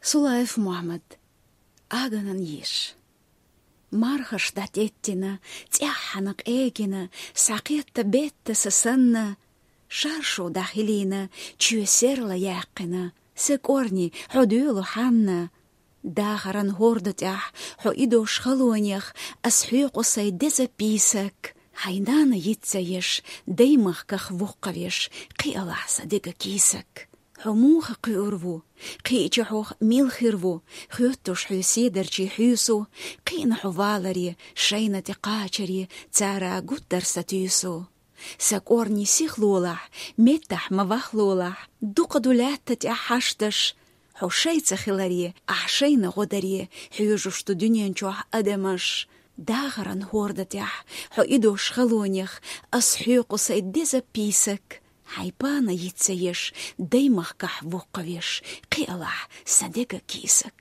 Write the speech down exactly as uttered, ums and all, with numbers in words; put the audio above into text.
Сулаев Мухьмад. Аганан йиш. Мархаш дӀатӀеттина, цӀеххьана къегина, схьакхетта бетта са санна, шаршу дӀахилийна, чоь серла яьккхина. Са кӀорни, хьо доьлу хьанна. Дахаран хӀорда тӀехь, хьо идош халонех, ас хьоькъу сай деза пийсак. Хьайн нана йиц ца еш, даймахках воккхавеш, кхиалахь сан дега кийсак. Хьо муха кхуьур ву? Кхиъча хьох мила хир ву? Хоьттуш хьоь седарчий хьуьйсу, кхиъна хьо валаре, шайна тӀе кхачаре, цара гуттар са туьйсу. Са кӀорни сихлолахь, меттахь ма вахлолахь, дукха ду лаьтта тӀехь хьашташ. Хьо шайца хиларе, ахь шайна гӀо даре, хьоьжуш ду дуьнен чохь адамаш. Дахаран хӀорда тӀехь, хьо идош халонех, ас хьоькъу сай деза пийсак. Хьайн пана йиц ца еш, даймахкахь воккхавеш, кхиалахь сан дега кийсак.